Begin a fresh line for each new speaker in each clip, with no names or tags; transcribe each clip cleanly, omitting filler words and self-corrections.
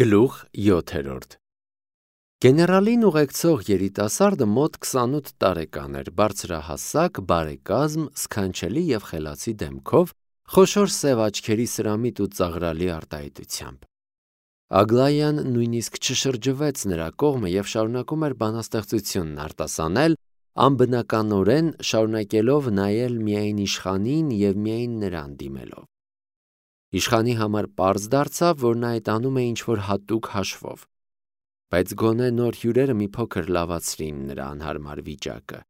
Գլուխ 7 Գեներալին ուղեկցող երիտասարդը մոտ 28 տարեկան էր, բարձրահասակ, բարեկազմ, սքանչելի և խելացի դեմքով, խոշոր սև աչքերի սրամիտ ու ծաղրալի արտահայտությամբ։ Ագլայան նույնիսկ չշրջվեց նրա կողմը և շարունակում էր բանաստեղծությունն արտասանել, անբնականորեն շարունակելով նայել միայն իշխանին և միայն նրան դիմելով։ Իշխանի համար պարզ դարձավ, որ նա այդ անում է ինչ-որ հատուկ հաշվով, բայց գոնե նոր հյուրերը մի փոքր լավացրին նրա անհարմար վիճակը։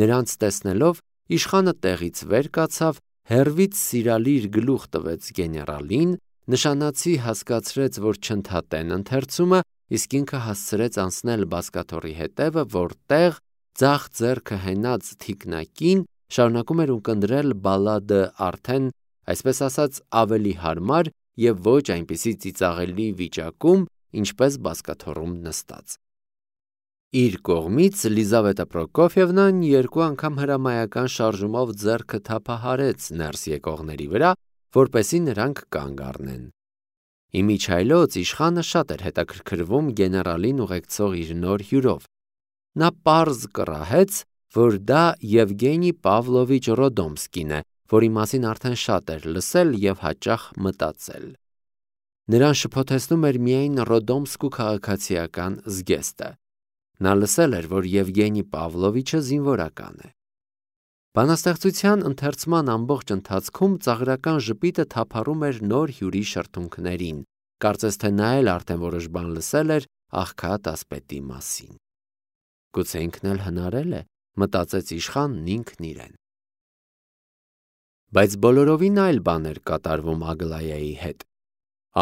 Նրանց տեսնելով, իշխանը տեղից վեր կացավ, հեռվից սիրալիր գլուխ տվեց գեներալին, նշանացի հասկացրեց, որ չընդհատեն ընթերցումը, իսկ ինքը հասցրեց անցնել բազկաթոռի հետևը, որտեղ ձախ ձեռքը հենած թիկնակին շարունակում էր ունկնդրել բալլադը արդեն, այսպես ասած, ավելի հարմար և ոչ այնպիսի ծիծաղելի վիճակում, ինչպես բազկաթոռում նստած։ Իր կողմից Լիզավետա Պրոկոֆիևնան երկու անգամ հրամայական շարժումով ձեռքը թափահարեց ներս եկողների վրա, որպեսզի նրանք կանգ առնեն։ Իմիջիայլոց իշխանը շատ էր հետաքրքրվում գեներալին ուղեկցող իր նոր հյուրով։ Նա պարզ կռահեց, որ դա Եվգենի Պավլովիչ Ռոդոմսկին է, որի մասին արդեն շատ էր լսել և հաճախ մտածել։ Նրան շփոթեցնում էր միայն Ռոդոմսկու քաղաքացիական զգեստը։ Նա լսել էր, որ Եվգենի Պավլովիչը զինվորական է։ Բանաստեղծության ընթերցման ամբողջ ընթացքում ծաղրական ժպիտը թափառում էր նոր հյուրի շրթունքներին, կարծես թե նա էլ արդեն որոշ բան լսել էր աղքատ ասպետի մասին։ Գուցե ինքն էլ հնարել է, մտածեց իշխանն ինքն իրեն։ Բայց բոլորովին այլ բան էր կատարվում Ագլայայի հետ։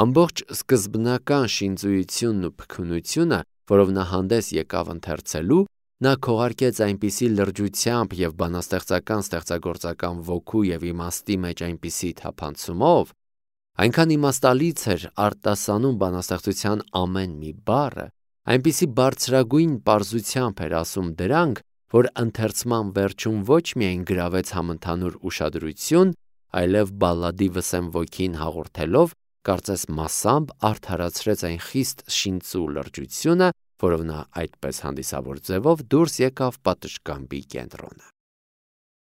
Ամբողջ սկզբնական շինծույությունն ու փքունությունը, որով նա հանդես եկավ ընթերցելու, նա քողարկեց այնպիսի լրջությամբ և բանաստեղծական ստեղծագործական ոգու և իմաստի մեջ այնպիսի թափանցումով, այնքան իմաստալից էր արտասանում բանաստեղծության ամեն մի բառը, այնպիսի բարձրագույն պարզությամբ էր ասում դրանք, որ ընթերցման վերջում ոչ միայն գրավեց համընդհանուր ուշադրություն, այլև բալլադի վսեմ ոգին հաղորդելով, կարծես մասամբ արդարացրեց այն խիստ շինծու լրջությունը, որով նա այդպես հանդիսավոր ձևով դուրս եկավ պատշգամբի կենտրոնը։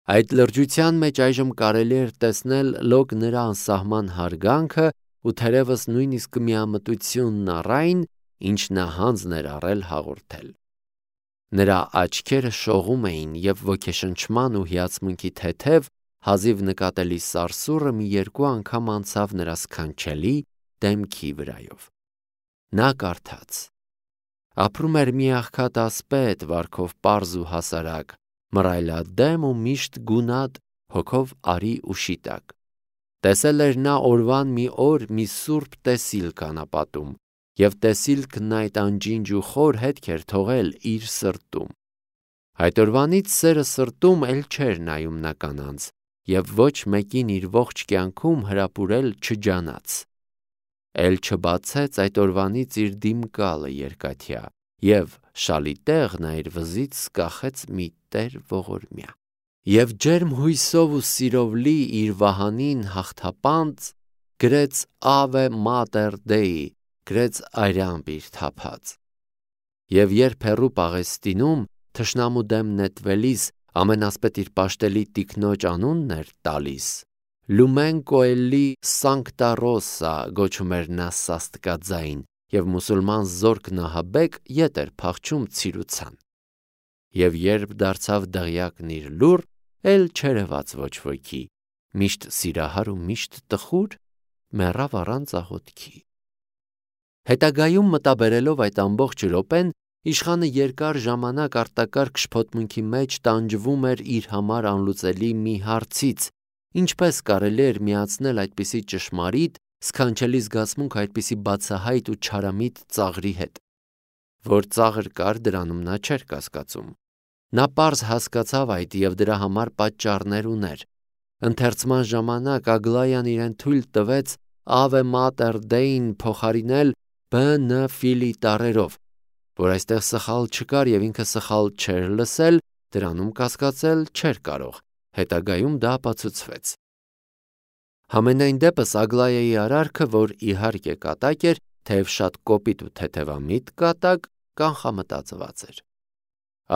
Այդ լրջության մեջ այժմ կարելի էր տեսնել լոկ նրա անսահման հարգանքը ու թերևս նույնիսկ միամտությունն առ այն, ինչ նա հանձն էր առել հաղորդել։ Նրա աչքերը շողում էին և ոգեշնչման ու հիացմունքի թեթև, հազիվ նկատելի սարսուռը մի երկու անգամ անցավ նրա սքանչելի դեմքի վրայով։ Նա կարդաց. ապրում էր մի աղքատ ասպետ, վարքով պարզ ու հասարակ, մռայլադեմ ու միշտ գունատ, հոգով արի ու շիտակ։ Տեսել էր նա օրվան մի օր մի սուրբ տեսիլք անապատում, և տեսիլքն այդ անջինջ ու խոր հետք էր թողել իր սրտում։ Այդ օրվանից սերը սրտում էլ չէր նայում նա կանանց, և ոչ մեկին իր ողջ կյանքում հրապուրել չջանաց։ Էլ չբացեց այդ օրվանից իր դիմկալը երկաթյա, և շալիտեղ նա իր վզից սկախեց մի տեր ողորմյա։ Եվ ջերմ հույսով ու սիրով լի իր վահանին հաղթապանծ, գրեց Ave Mater Dei, գրեց արյամբ իր թափած։ Եվ երբ հեռու Պաղեստինում թշնամու դեմ նետվելիս ամենասպետ իր պաշտելի տիկնոջ անունն էր տալիս, Lumen Coeli Sancta Rosa գոչում էր նա սաստկաձայն, և մուսուլման զորք նահաբեկ ետ էր փախչում ցիրուցան։ Եվ երբ դարձավ դղյակն իր լուռ, էլ չերևաց ոչ ոքի, միշտ սիրահար ու միշտ տխուր, մեռավ առանց աղոթքի։ Հետագայում մտաբերելով այդ ամբողջ րոպեն, իշխանը երկար ժամանակ արտակարգ շփոթմունքի մեջ տանջվում էր իր համար անլուծելի մի հարցից, ինչպես կարելի էր միացնել այդպիսի ճշմարիտ, սքանչելի զգացմունք այդպիսի բացահայտ ու չարամիտ ծաղրի հետ։ Որ ծաղր կար, դրանում նա չէր կասկածում։ Նա պարզ հասկացավ այդ և դրա համար պատճառներ ուներ։ Ընթերցման ժամանակ Ագլայան իրեն թույլ տվեց Ave Mater Dei-ն փոխարինել B.N. Ֆիլի տառերով, որ այստեղ սխալ չկար և ինքը սխալ չէր լսել, դրանում կասկածել չէր կարող, հետագայում դա ապացուցվեց։ Համենայն դեպս Ագլայայի արարքը, որ իհարկե կատակ էր, թեև շատ կոպիտ ու թեթևամիտ կատակ, կանխամտածված էր։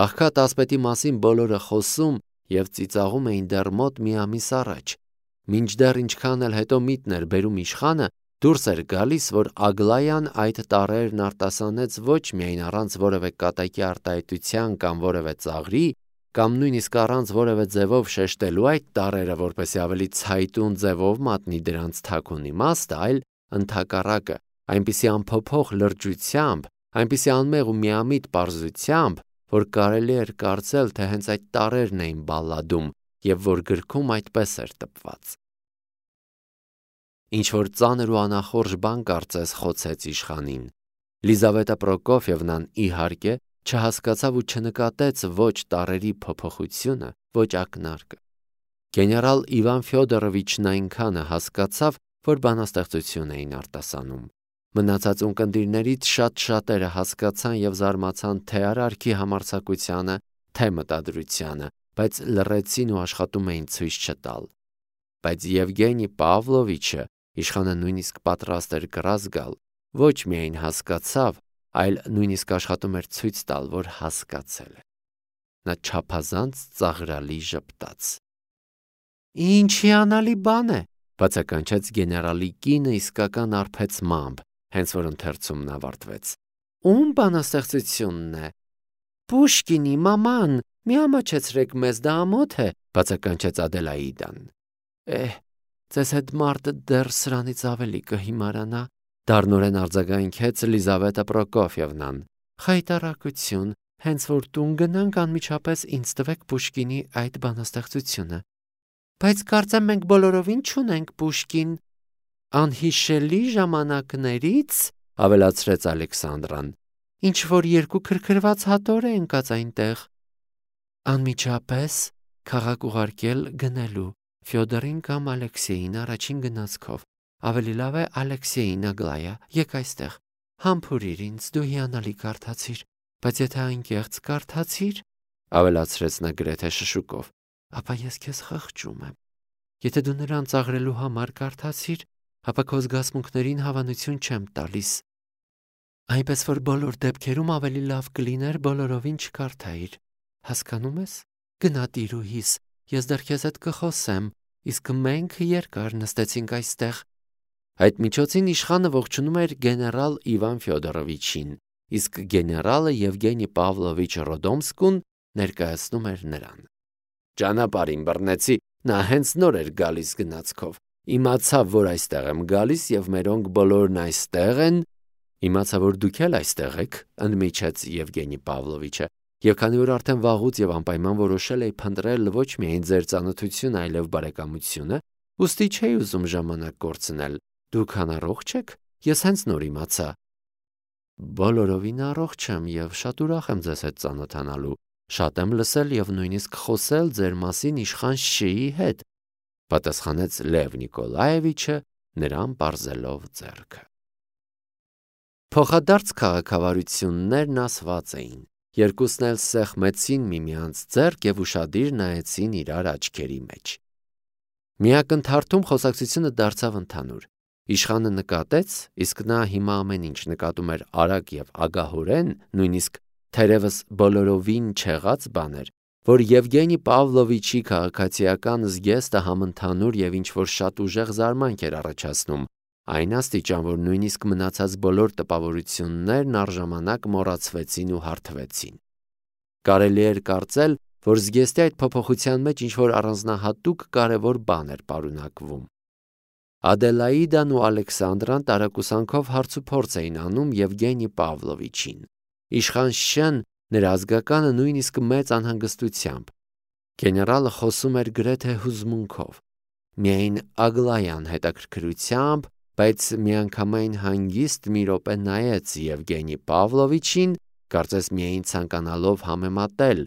Աղքատ ասպետի մասին բոլորը խոսում և ծիծաղում էին դեռ մոտ մի ամիս առաջ, մինչդեռ ինչքան էլ հետո միտն էր բերում իշխանը, դուրս էր գալիս, որ Ագլայան այդ տառերն արտասանեց ոչ միայն առանց որևէ կատակի արտահայտության կամ որևէ ծաղրի, կամ նույնիսկ առանց որևէ ձևով շեշտելու այդ տառերը, որպեսզի ավելի ցայտուն ձևով մատնի դրանց թաքուն իմաստը, այլ ընդհակառակը, այնպիսի անփոփոխ լրջությամբ, այնպիսի անմեղ ու միամիտ պարզությամբ, որ կարելի էր կարծել, թե հենց այդ տառերն էին բալլադում և որ գրքում այդպես էր տպված։ Ինչ-որ ծանր ու անախորժ բան կարծես խոցեց իշխանին։ Լիզավետա Պրոկոֆիևնան իհարկե չհասկացավ ու չնկատեց ոչ տառերի փոփոխությունը, ոչ ակնարկը։ Գեներալ Իվան Ֆյոդորովիչն այնքանը հասկացավ, որ բանաստեղծություն էին արտասանում։ Մնացած ունկնդիրներից շատ-շատերը հասկացան և զարմացան թե արարքի համարձակությանը, թե մտադրությանը, բայց լռեցին ու աշխատում էին ցույց չտալ։ Բայց Եվգենի Պավլովիչը, իշխանը նույնիսկ պատրաստ էր կռազ գալ, ոչ միայն հասկացավ, այլ նույնիսկ աշխատում էր ցույց տալ, որ հասկացել է։ Նա չափազանց ծաղրալի ժպտաց։ «Ինչ հիանալի բան է», բացականչեց գեներալի կինը իսկական արբեցմամբ, հենց որ ընթերցումն ավարտվեց։ «Ում բանաստեղծությունն է»։ «Պուշկինի, մաման, մի ամաչեցրեք մեզ, դա ամոթ է», բացականչեց Ադելաիդան։ Ձեզ հետ մարդը դեռ սրանից ավելի կհիմարանա, դառնորեն արձագանքեց Լիզավետա Պրոկոֆիևնան։ Խայտառակություն, հենց որ տուն գնանք, անմիջապես ինձ տվեք Պուշկինի այդ բանաստեղծությունը։ Բայց կարծեմ մենք բոլորովին չունենք Պուշկին։ Անհիշելի ժամանակներից, ավելացրեց Ալեքսանդրան, ինչ որ երկու քրքրված հատոր է ընկած այնտեղ։ Անմիջապես քաղաք ուղարկել գնելու Ֆյոդորին կամ Ալեքսեյին առաջին գնացքով։ Ավելի լավ է Ալեքսեյին, Ագլայա, եկ այստեղ։ Համբուրիր ինձ, դու հիանալի կարդացիր, բայց եթե անկեղծ կարդացիր, ավելացրեց նա գրեթե շշուկով, ապա ես քեզ խղճում եմ։ Եթե դու նրան ծաղրելու համար կարդացիր, ապա քո զգացմունքներին հավանություն չեմ տալիս։ Այնպես որ բոլոր դեպքերում ավելի լավ կլիներ բոլորովին չկարդայիր։ Հասկանում ես։ Գնա տիրուհիս, ես դեռ քեզ հետ կխոսեմ, իսկ մենք երկար նստեցինք այստեղ։ Այդ միջոցին իշխանը ողջունում էր գեներալ Իվան Ֆյոդորովիչին, իսկ գեներալը Եվգենի Պավլովիչ Ռոդոմսկուն ներկայացնում էր նրան։ Ճանապարհին բռնեցի, նա հենց նոր էր գալիս գնացքով։ Իմացավ, որ այստեղ եմ գալիս և մերոնք բոլորն այստեղ են։ Իմացա, որ դուք էլ այստեղ եք, ընդմիջեց Եվգենի Պավլովիչը, և քանի որ արդեն վաղուց և անպայման որոշել էի փնտրել ոչ միայն ձեր ծանոթությունը, այլև բարեկամությունը, ուստի չէի ուզում ժամանակ կորցնել։ Դուք անառողջ եք։ Ես հենց նոր իմացա։ Բոլորովին առողջ եմ և շատ ուրախ եմ ձեզ հետ ծանոթանալու։ Շատ եմ լսել և նույնիսկ խոսել ձեր մասին իշխան Շեի հետ, պատասխանեց Լև Նիկոլաևիչը, նրան պարզելով ձեռքը։ Փոխադարձ քաղաքավարություններն ասված էին։ Երկուսն էլ սեղմեցին միմյանց ձեռք և ուշադիր նայեցին իրար աչքերի մեջ։ Մի ակնթարթում խոսակցությունը դարձավ ընդհանուր։ Իշխանը նկատեց, իսկ նա հիմա ամեն ինչ նկատում էր արագ և ագահորեն, նույնիսկ թերևս բոլորովին չեղած բան էր, որ Եվգենի Պավլովիչի քաղաքացիական զգեստը համընդհանուր և ինչ-որ շատ ուժեղ զարմանք էր առաջացնում, այն աստիճան, որ նույնիսկ մնացած բոլոր տպավորություններն առժամանակ մոռացվեցին ու հարթվեցին։ Կարելի էր կարծել, որ զգեստի այդ փոփոխության մեջ ինչ-որ առանձնահատուկ կարևոր բան էր պարունակվում։ Ադելաիդան ու Ալեքսանդրան տարակուսանքով հարցուփորձ էին անում Եվգենի Պավլովիչին։ Իշխան Շեն նրա ազգականը նույնիսկ մեծ անհանգստությամբ։ Գեներալը խոսում էր գրեթե հուզմունքով։ Միայն Ագլայան հետաքրքրությամբ, բայց միանգամայն հանգիստ մի րոպե նայեց Եվգենի Պավլովիչին, կարծես միայն ցանկանալով համեմատել,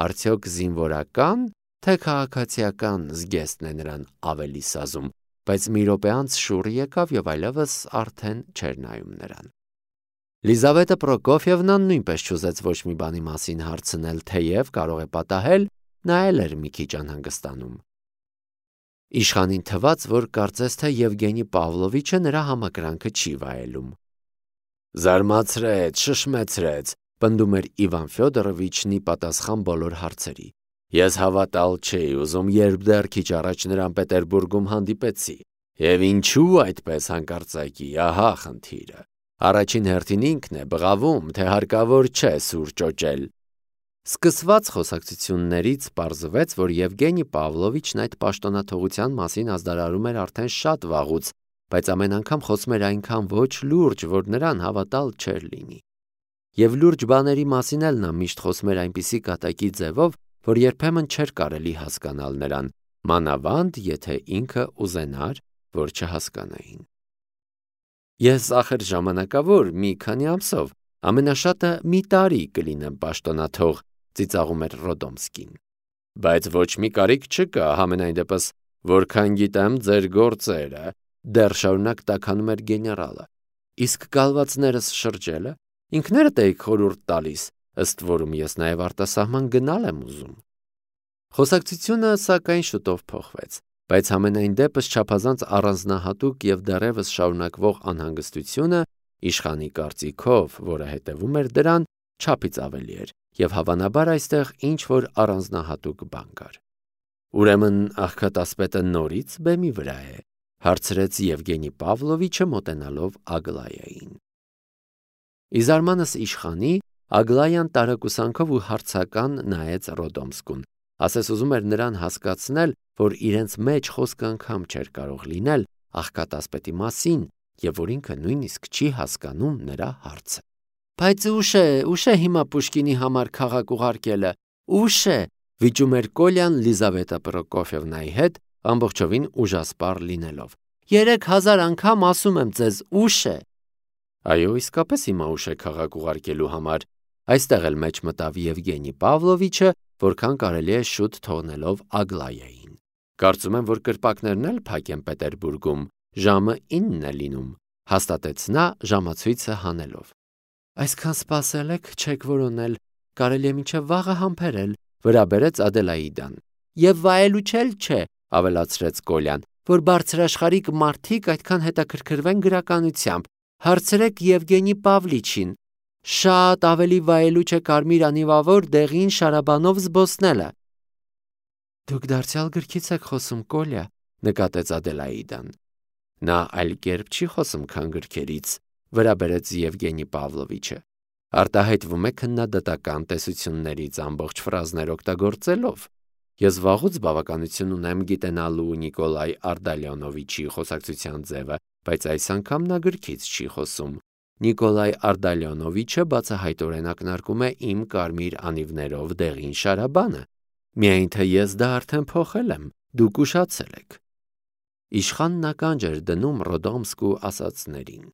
արդյոք զինվորական, թե քաղաքացիական զգեստն է նրան ավելի սազում, բայց մի րոպե անց շուռ եկավ և այլևս արդեն չէր նայում նրան։ Լիզավետա Պրոկոֆիևնան նույնպես չուզեց ոչ մի բանի մասին հարցնել, թեև կարող է պատահել, նա էլ էր մի քիչ անհանգստանում։ Իշխանին թվաց, որ կարծես թե Եվգենի Պավլովիչը նրա համակրանքը չի վայելում։ Զարմացրեց, շշմեցրեց, պնդում էր Իվան Ֆյոդորովիչնի պատասխան բոլոր հարցերի։ Ես հավատալ չէի ուզում, երբ դեռ քիչ առաջ նրան Պետերբուրգում հանդիպեցի։ Եվ ինչու այդպես հանկարծակի, ահա խնդիրը։ Առաջին հերթին ինքն է բղավում, թե հարկավոր չէ սուր ճոճել։ Սկսված խոսակցություններից պարզվեց, որ Եվգենի Պավլովիչն այդ պաշտոնաթողության մասին ազդարարում էր արդեն շատ վաղուց, բայց ամեն անգամ խոսում էր այնքան ոչ լուրջ, որ նրան հավատալ չէր լինի։ Եվ լուրջ բաների մասին էլ նա միշտ խոսում էր այնպիսի կատակի ձևով, որ երբեմն չէր կարելի հասկանալ նրան, մանավանդ եթե ինքը ուզենար, որ չհասկանային։ Ես ախր ժամանակավոր մի քանի ամսով, ամենաշատը մի տարի կլինեմ պաշտոնաթող, ծիծաղում էր Ռոդոմսկին։ Բայց ոչ մի կարիք չկա, համենայն դեպս, որքան գիտեմ ձեր գործերը, դեռ շարունակ տաքանում էր գեներալը։ Իսկ կալվածներս շրջելը ինքներդ եք խորհուրդ տալիս, ըստ որում ես նաև արտասահման գնալ եմ ուզում։ Խոսակցությունը սակայն շուտով փոխվեց, բայց համենայն դեպս չափազանց առանձնահատուկ եւ դեռևս շարունակվող անհանգստությունը իշխանի կարծիքով, որը հետևում էր դրան, չափից ավելի էր, եւ հավանաբար այստեղ ինչ որ առանձնահատուկ բան կար։ Ուրեմն աղքատասպետը նորից բեմի վրա է, հարցրեց Եվգենի Պավլովիչը մոտենալով Ագլայային։ Իզարմանս իշխանի Ագլայան տարակուսանքով ու հարցական նայեց Ռոդոմսկուն, ասես ուզում էր նրան հասկացնել, որ իրենց մեջ խոսք անգամ չէր կարող լինել աղքատասպետի մասին եւ որ ինքը նույնիսկ չի հասկանում նրա հարցը։ Բայց ուշ է հիմա Պուշկինի համար քաղաք ուղարկելը, ուշ է, վիճում էր Կոլյան Լիզավետա Պրոկոֆիևնայի հետ, ամբողջովին ուժասպառ լինելով։ 3000 անգամ ասում եմ ձեզ, ուշ է։ Այո, իսկապես հիմա ուշ է քաղաք ուղարկելու համար, այստեղ էլ մեջ մտավ Եվգենի Պավլովիչը, որքան կարելի է շուտ թողնելով Ագլայային։ Կարծում եմ, որ կրպակներն էլ փակ են Պետերբուրգում, ժամը 9 է լինում, հաստատեց նա ժամացույցը հանելով։ Այսքան սպասել եք, չեք որոնել, կարելի է մինչև վաղը համբերել, վրա բերեց Ադելաիդան։ Եվ վայելու չէ, ավելացրեց Կոլյան, որ բարձրաշխարհիկ մարդիկ այդքան հետաքրքրվեն գրականությամբ։ Հարցրեք Եվգենի Պավլիչին, շատ ավելի վայելու չէ կարմիր անիվավոր դեղին շարաբանով զբոսնելը։ Դուք դարձյալ գրքից եք խոսում, Կոլյա, նկատեց Ադելաիդան։ Նա այլ կերպ չի խոսում, քան գրքերից, վրա բերեց Եվգենի Պավլովիչը։ Արտահայտվում է քննադատական տեսություններից ամբողջ ֆրազներ օգտագործելով։ Ես վաղուց բավականություն ունեմ գիտենալու Նիկոլայ Արդալյոնովիչի խոսակցության ձևը, բայց այս անգամ նա գրքից չի խոսում։ Նիկոլայ Արդալյոնովիչը բացահայտորեն ակնարկում է իմ կարմիր անիվներով դեղին շարաբանը։ Միայն թե ես դա արդեն փոխել եմ, դուք ուշացել եք։ Իշխանն ականջ էր դնում Ռոդոմսկու ասածներին։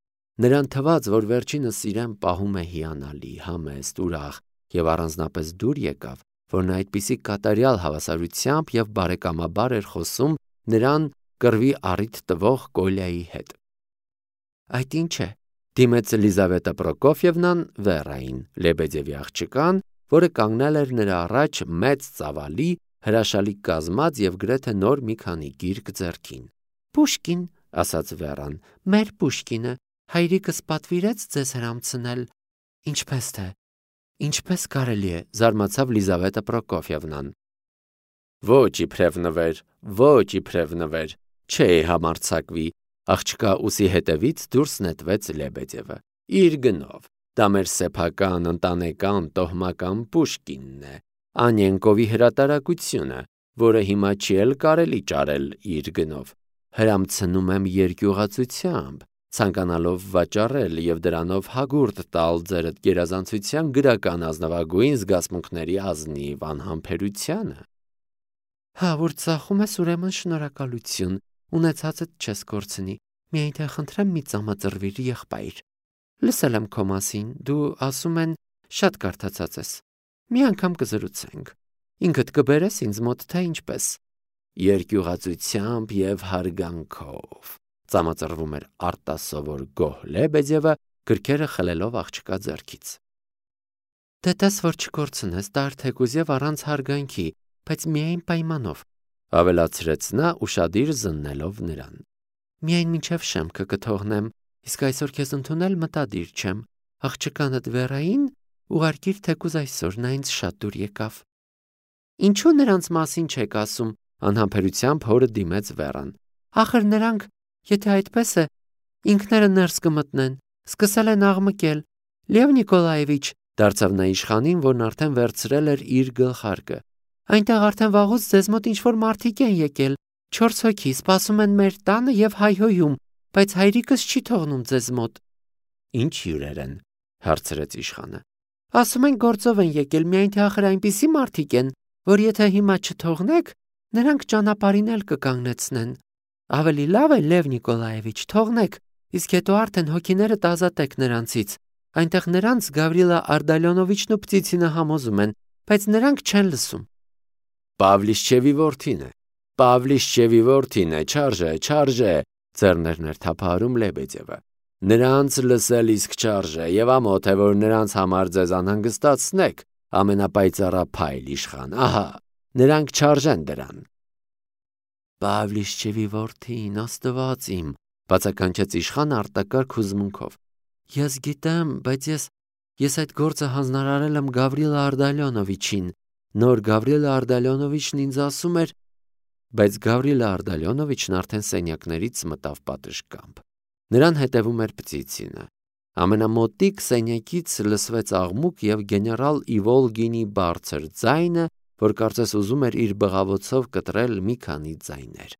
Նրան թվաց, որ վերջինս իրեն պահում է հիանալի, համեստ, ուրախ եւ առանձնապես դուր եկավ, որ նա այդպիսի կատարյալ հավասարությամբ եւ բարեկամաբար էր խոսում նրան կռվի առիթ տվող Կոլյայի հետ։ Այդ ինչ է, դիմեց Լիզավետա Պրոկոֆիևնան Վերային, Լեբեդևի աղջկան, որը կանգնել էր նրա առաջ մեծ ծավալի, հրաշալի կազմած եւ գրեթե նոր մի քանի գիրք ձեռքին։ Պուշկին, ասաց Վերան, մեր Պուշկինը, հայրիկս պատվիրեց ձեզ հրամցնել։ Ինչպես թե, ինչպես կարելի է, զարմացավ Լիզավետա Պրոկոֆիևնան։ Ոչ իբրև նվեր, չէ համարցակվի, աղջկա ուսի հետևից դուրս նետվեց Լեբեդևը։ Իր գնով, դա մեր սեփական, ընտանեկան, տոհմական Պուշկինն է, Անյենկովի հրատարակությունը, որը հիմա չի էլ կարելի ճարել իր գնով։ Հրամցնում եմ երկյուղացությամբ, ցանկանալով վաճառել եւ դրանով հագուրդ տալ ձերդ գերազանցության գրական ազնվագույն զգացմունքների ազնիվ անհամբերությանը։ Հա, որ ծախում ես, ուրեմն շնորհակալություն, ունեցածդ չես կորցնի, միայն թե խնդրեմ մի ծամածրվիր եղբայր։ Լսել եմ քո մասին, դու ասում են շատ կարդացած ես։ Մի անգամ կզրուցենք։ Ինքդ կբերես ինձ մոտ թե ինչպես։ Երկյուղացությամբ եւ հարգանքով, ծամածրվում էր արտասովոր գոհ Լեբեդևը, գրքերը խլելով աղջկա ձեռքից։ Դե տես, որ չկորցնես, դա թեկուզ եւ առանց հարգանքի, բայց միայն պայմանով, ավելացրեց նա ուշադիր զննելով նրան։ Միայն մինչև շեմքը կթողնեմ, Իսկ այսօր քեզ ընդունել մտադիր չեմ։ Աղջկանդ Վերային ուղարկիր թեկուզ այսօր, նա ինձ շատ դուր եկավ։ Ինչու նրանց մասին չեք ասում, անհամբերությամբ հորը դիմեց Վերան։ Ախր նրանք, եթե այդպես է, ինքները ներս կմտնեն, սկսել են աղմկել։ Լև Նիկոլաևիչ, դարձավ նա իշխանին, որն արդեն վերցրել էր իր գլխարկը։ Այնտեղ արդեն վաղուց ձեզ մոտ ինչ-որ մարդիկ են եկել, 4 հոգի սպասում են մեր տանը եւ հայհոյում, բայց հայրիկս չի թողնում ձեզ մոտ։ Ինչ հյուրեր են, հարցրեց իշխանը։ Ասում են գործով են եկել, միայն թե ախր այնպիսի մարդիկ են, որ եթե հիմա չթողնեք, նրանք ճանապարհին էլ կկանգնեցնեն։ Ավելի լավ է, Լև Նիկոլաևիչ, թողնեք, իսկ հետո արդեն հոգիներդ ազատեք նրանցից։ Այնտեղ նրանց Գավրիլա Արդալյոնովիչն ու Պտիցինը համոզում են, բայց նրանք չեն լսում։ Պավլիշչևի որդին է, Պավլիշչևի որդին է, չարժե, ձեռներն էր թափահարում Լեբեդևը։ Նրանց լսել իսկ չարժե, եւ ամոթ է, որ նրանց համար ձեզ անհանգստացնեք, ամենապայծառափայլ իշխան, ահա, նրանք չարժեն դրան։ Պավլիշչևի որդին, Աստված իմ, բացականչեց իշխանը արտակարգ հուզմունքով։ Ես գիտեմ, բայց ես այդ գործը հանձնարարել եմ Գավրիլա Արդալյոնովիչին։ Նոր Գավրիլա Արդալյոնովիչն ինձ ասում էր, բայց Գավրիլա Արդալյոնովիչն արդեն սենյակներից մտավ պատշգամբ։ Նրան հետևում էր Պտիցինը։ Ամենամոտիկ սենյակից լսվեց աղմուկ եւ գեներալ Իվոլգինի բարձր ձայնը, որ կարծես ուզում էր իր բղավոցով կտրել մի քանի ձայներ։